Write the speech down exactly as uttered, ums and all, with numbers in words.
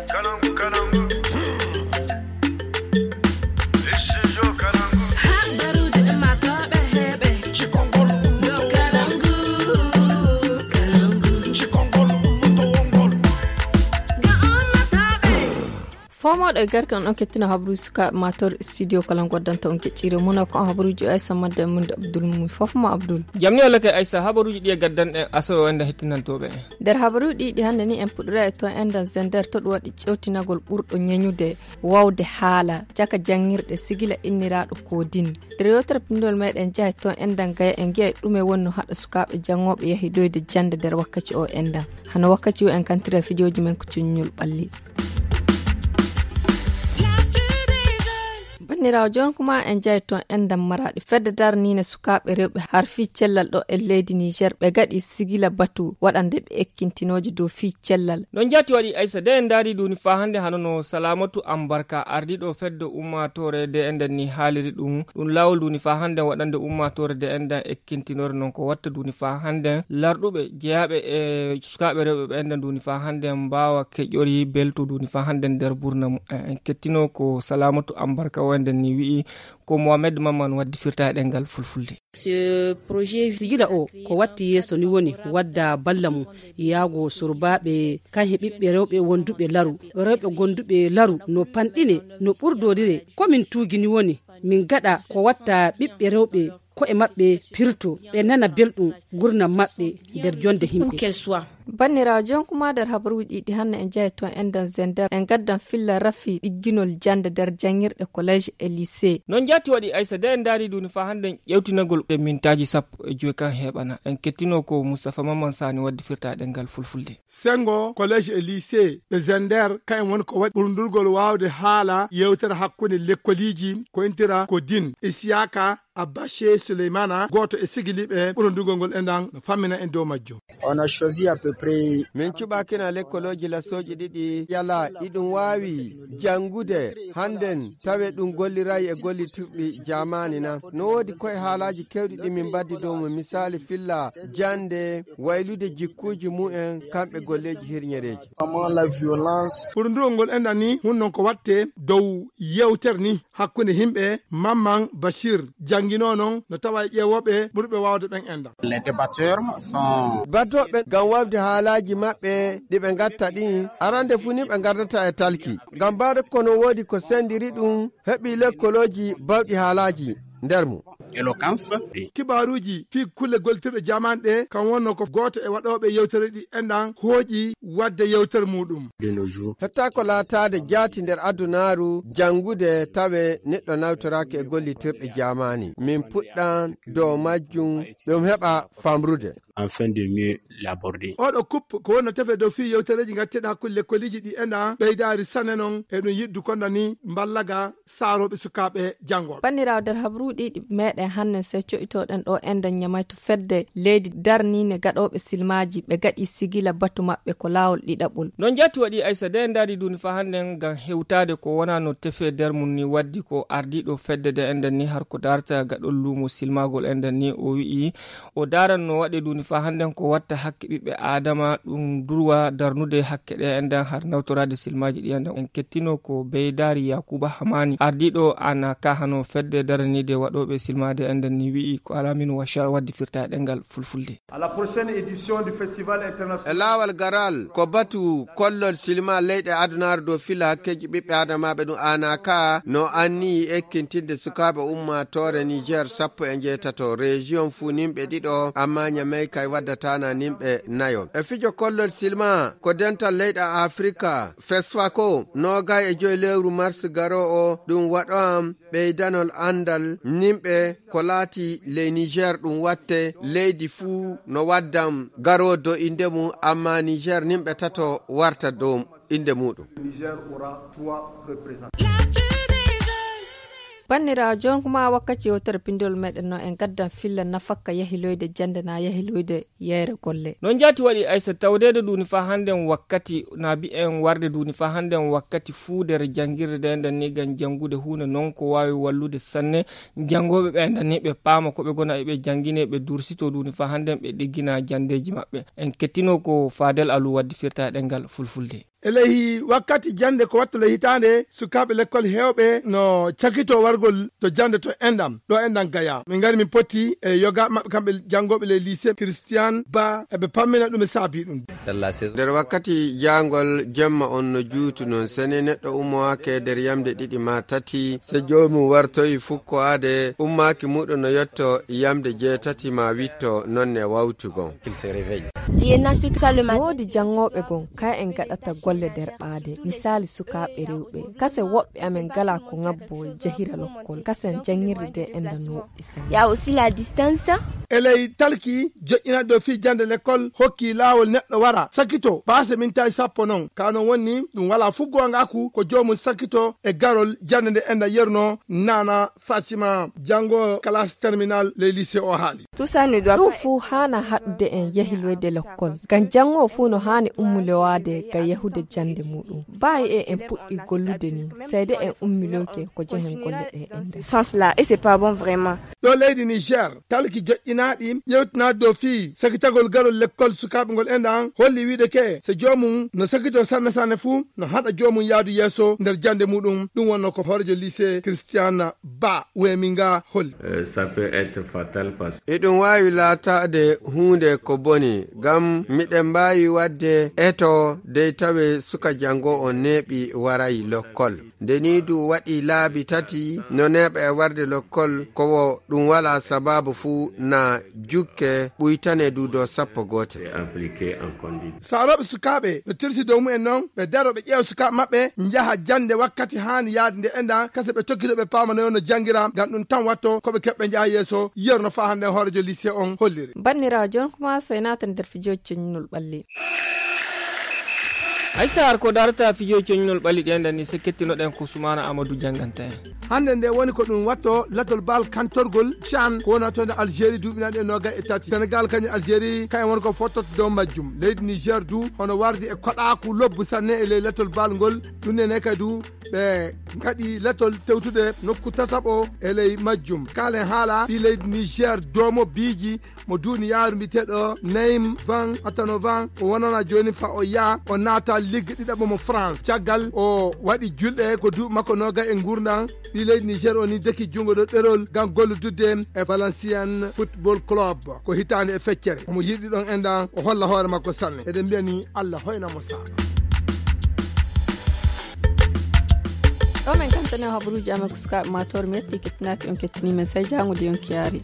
Habaruuji ɗi maatooɓe heɓe. Cikongol ummuto wongol. Cikongol ummuto wongol. Ga ummatooɓe. Fomooɗo e garke on, on kettino habaruuji sukaaɓe maatooɓe studio kala goddanta on keccire muna ko on habaruuji o Aissa Madde e Munde Abdul Mumi. Fof mo Abdul. Jamni walla kay Aissa, habaruuji ɗi e gaddan en asowe o enda hettinantooɓe en. Nder habaruuji ɗi hannde ni en puɗɗora e to endan Zender to ɗum waɗi cewtinagol ɓurɗo ñeñude wawde haala caka janngirɗe sigila inniraaɗo Kodin. Nder yewtere pinndol meɗen njaha e to endan Gaya en ngi'a e ɗume woni no haɗa sukaaɓe janngooɓe yahidoyde jannde nder wakkaci o endan. Hano wakkaci o en kantira fijooji men ko cuññol ɓalli. Banniraawo, jooni kuma en njahi toon enɗam Maraaɗi. Fedde daraniinde sukaaɓe rewɓe har fii cellal ɗo e leydi Niger, ɓe gaɗi sigila batu waɗande ɓe ekkintinooje dow fii cellal. No njaati waɗi Aissa, de en ndaari duuni faa hannde hano no Salamatu Ambarka ardiiɗo fedde ummaatoore de enɗan ni haaliri ɗum. Ɗum laawol duuni faa hannde waɗande ummaatoore de enɗan ekkintinore non ko watta duuni faa hannde larɗuɓe jeyaaɓe e sukaaɓe rewɓe ɓe enɗan duuni faa hannde mbaawa keƴori belto duuni faa hannde nder burna mu-, en kettino ko Salamatu Ambarka o enɗan ni wi'i ko Mohamed Mamman waddi firta e ɗemngal fulfulde. Sigila o ko watti yeeso ni woni wadda balla mum yaago surbaaɓe kan he ɓiɓɓe rewɓe wonduɓe laru. Rewɓe gonduɓe laru no panɗine, no ɓurdorire. Ko min tuugi ni woni min gaɗa ko watta ɓiɓɓe rewɓe ko'e maɓɓe pirto, ɓe nana belɗum gurnam maɓɓe nder jonde himɓe. Banniraawo, jonkuma nder habaruuji ɗi hannde en njahi toon enɗan Zender, en gaddan filla rafi ɗigginol jannde nder janngirɗe collège e lycée. No njaati waɗi Aissa, de en ndaari duuni faa hannde ƴewtinagol e mintaaji sappo e joy kan heɓana. En kettino ko Moustapha Mamman Sani waddi firta e ɗemngal fulfulde. Sengo collège e lycée ɓe Zender, kayen woni ko waɗi ɓurndurgol waawde haala yewtere hakkunde lekkoliiji ko intira ko din Isiyaka Abache Souleymana, gooto e sigiliiɓe ɓurondugol ngol enɗan, no fammina en dow majjum. On a choisi à peu près. Min cuɓaakina lekkolooji lasooji ɗiɗi yala iɗum waawi janngude hannden tawe ɗum golliray e gollitirɗi jaamaani na. No woodi koye haalaaji keewɗi ɗi min mbaddi dow mo, misaali filla jannde, waylude jikkuuji mumen, kamɓe golleeji hirñereeji. Comment la violence. Ɓurondugol ngol enɗan ni, hun non ko watte dow yewtere ni. Hakkunde himɓe, Mamman Bashir jannginoo non no tawa e ƴeewooɓe ɓurɓe waawde ɓen enɗan. Les débatteurs sont. Battooɓe ngam waawde haalaaji maɓɓe ɗi ɓe ngatta ɗin, arande fuu ni ɓe ngardata e talki. Ngam mbaawde kono woodi ko senndiri ɗum, heɓi lekkolooji bawɗi haalaaji nder mum. Éloquence. Kibaaruuji fii kulle gollitirɗe jaamaani ɗe, kam wonno ko gooto e waɗooɓe yewtere ɗi enɗan hooƴi waɗde yewtere muuɗum. Hetta ko laataade jaati nder adunaaru janngude tawe neɗɗo nawtoraaki e gollitirɗe jaamaani. Min puɗɗan dow majjum ɗum heɓa famrude. Afin de mieux l'aborder. Oɗo kup ko wonno tefe dow fii yewtereeji ngatteɗi hakkunde lekkoliiji ɗi enɗan ɓeydaari sanne non e ɗum yiɗdu konda ni mballaga saarooɓe sukaaɓe janngooɓe. Banniraawo, nder habaruuji ɗi meɗen hannden sey co'itoɗen ɗo enɗan Ñamay to fedde leydi darniinde gaɗooɓe silmaaji ɓe gaɗi sigila batu maɓɓe ko laawol ɗiɗaɓol. No njaati waɗi Aissa, de en ndaari duuni faa hannden ngam hewtaade ko wonaa no tefe nder mum ni waddi ko ardiiɗo fedde de enɗan ni har ko daarta gaɗol luumo silmaagol enɗan ni o wi'i o daaran no waɗe duuni faa hannden ko watta hakke ɓiɓɓe Aadama ɗum durwa darnude hakke ɗe enɗan har nawtoraade silmaaji ɗi enɗan. En kettino ko Beydaari Yaakuba Hamaani ardiiɗo ana ka hano fedde daraniide waɗooɓe silmaade enɗan ni wi'i ko alaa min wacca waddi firta e ɗemngal fulfulde. À la prochaine édition du Festival international. E laawal garal ko batu kollol silma leyɗe adunaaru dow filla hakkeeji ɓiɓɓe adamaaɓe ɗum aanaka no anniyi ekkintinde sukaaɓe ummaatoore Niger sappo e njeetato région fuu nimɓe ɗiɗo amma Ñamey kay waddatana nimɓe nayo. E fijo kollol silma ko dental leyɗe Afrika fesfako noogay e joy lewru mars garo o ɗum waɗo am ɓeydanol anndal nimɓe ko laati ley Niger ɗum watte leydi fuu no waddam garoo dow innde mum amma Niger nimɓe tato warta dow innde muɗum. Banniraawo, jooni kuma wakkati yewtere pinndol meɗen no en gaddan filla nafakka yahiloyde jannde na yahiloyde yeyre golle. No njaati waɗi Aissa tawdeede duuni faa hannden wakkati na mbi'en warde duuni faa hannden wakkati fuu nder janngirde nde enɗan ni ngam janngude huunde non ko waawi wallude sanne janngooɓe ɓe enɗan ni ɓe paama ko ɓe ngona e ɓe janngine ɓe dursito duuni faa hannden ɓe ɗiggina janndeeji maɓɓe. En kettino ko Fadel Alu waddi firta e ɗemngal fulfulde. E ley wakkati jannde ko wattu ley hitaande, sukaaɓe lekkol heewɓe no cakito wargol to jannde to enɗam, ɗo enɗam Gaya. Min ngari min potti e yoga maɓɓe kamɓe janngooɓe ley lycée Christian Ba, eɓe pammina ɗum e saabi ɗum. Nder wakkati jaangol jemma on no juutu non, sene neɗɗo ummowaake nder yamde ɗiɗi ma tati, so joomum wartoyi fukkowaade, ummaaki muɗum no yotto yamde jeetati ma witto, non ne wawtu gon. Woodi janngooɓe gon, ka en gaɗata golle nder ɓaade. Misaali sukaaɓe rewɓe. Kase woɓɓe amen gala ko ŋabbo e jahira lokkol. Kasen janngirde de en no woɗɗi sene. Il y a aussi la distance. E ley talki, joƴƴinat dow fii jannde lekkol hokki laawol neɗɗo wara sakito baase mintaaji sappo non. Ka non woni ɗum walaa fuggoangaaku ko joomum sakito e garol jannde nde enda yerno nana Fatima, janngo classe terminale ley lycée o haali. Tout ça ne doit Ɗum pas fuu haana haɗude en yahiloyde lokkol. Ngam janngo fuu no haani ummulowaade ngam yahude jannde muɗum. Baayi e en puɗɗi gollude ni, seede en ummiloyke ko jehen golle ɗe en nder. Sens là, et c'est pas bon vraiment. Ɗo leydi Niger, talki joƴƴinaaɗi yewtinaade dow fii sakitagol garol lekkol sukaaɓe ngol enɗan holli wiide ke, so joomum no sakito sanne sanne fuu, no haɗa joomum yaadu yeeso nder jannde muɗum. Ɗum wonno ko hoorejo lycée Christian Ba Weminga holli. Euh, ça peut être fatal parce que Eɗum waawi laataade huunde ko boni, ngam miɗen mbaawi waɗde eto dey tawe suka janngo on neeɓi waray lokkol. Nde nii du waɗi laabi tati no neeɓa e warde lokkol, ko wo ɗum walaa sabaabu fuu na jukke ɓuytane du dow sappo gootel. Saarooɓe sukaaɓe no tirsi dow mumen non, ɓe daro ɓe ƴeewa sukaaɓe maɓɓe, njaha jannde wakkati haani yaade nde enɗan, kase ɓe tokkito ɓe paamanoyo no janngira, ngam ɗum tan watto ko ɓe keɓɓe njaha yeeso, yeru no faa hannde hoorejo lycée on holliri. Banniraawo, jooni kuma so en naatan nder fijooji coñnol ɓalli. Hay sahar ko darata fijooji coñnol ɓalli ɗen ɗan ni, so kettinoɗen ko Sumaana Amadou jannganta en. Hannde nde woni ko ɗum watto latol bal kantorgol chan ko wona toon e Algérie duuɓi nanɗe noogay e tati. Sénégal kañum Algérie kañum woni ko fottoto dow majjum. Leydi Niger du hono wardi e koɗaaku lobbu sanne e ley latol bal ngol. Ɗum nene kadi du ɓe ngaɗi latol tewtude nokku tataɓo e ley majjum. Kaalen haala fii leydi Niger doomo biiji mo duniyaaru mbiyeteeɗo Naim Van Atanovan o wonana jooni fa o yaa o naata ligue ɗiɗaɓo mo France. Caggal o waɗi julɗe ko duuɓi makko noogay e nguurndam, ɓii leydi Niger o ni deki junngo ɗo ɗerol ngam golludude e Valenciennes Football Club ko hitaande e feccere. Omo yiɗi ɗon enɗan o holla hoore makko sanne. Eɗen mbiya ni Allah hoyna mo saaka. Ɗo men kantane habaruuji amen ko sukaaɓe maa toor mi yetti kettinaaki on kettini men sey jaangude yonki yaari.